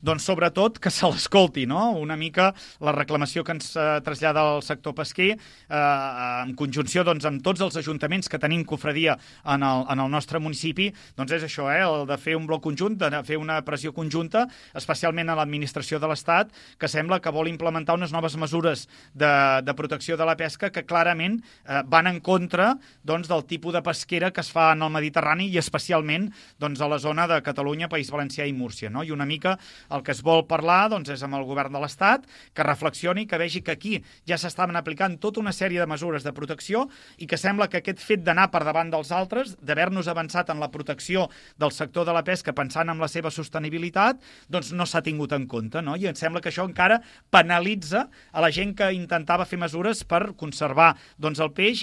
Doncs sobretot que se l'escolti, no? Una mica la reclamació que ens trasllada el sector pesquer en conjunció doncs, amb tots els ajuntaments que tenim cofradia en el nostre municipi, doncs és això, el de fer un bloc conjunt, de fer una pressió conjunta, especialment a l'administració de l'Estat, que sembla que vol implementar unes noves mesures de protecció de la pesca que clarament van en contra doncs, del tipus de pesquera que es fa en el Mediterrani i especialment doncs, a la zona de Catalunya, País Valencià i Múrcia, no? I una mica el que es vol parlar doncs, és amb el govern de l'Estat, que reflexioni, que vegi que aquí ja s'estaven aplicant tota una sèrie de mesures de protecció i que sembla que aquest fet d'anar per davant dels altres, d'haver-nos avançat en la protecció del sector de la pesca pensant en la seva sostenibilitat, doncs no s'ha tingut en compte, no? I em sembla que això encara penalitza a la gent que intentava fer mesures per conservar doncs, el peix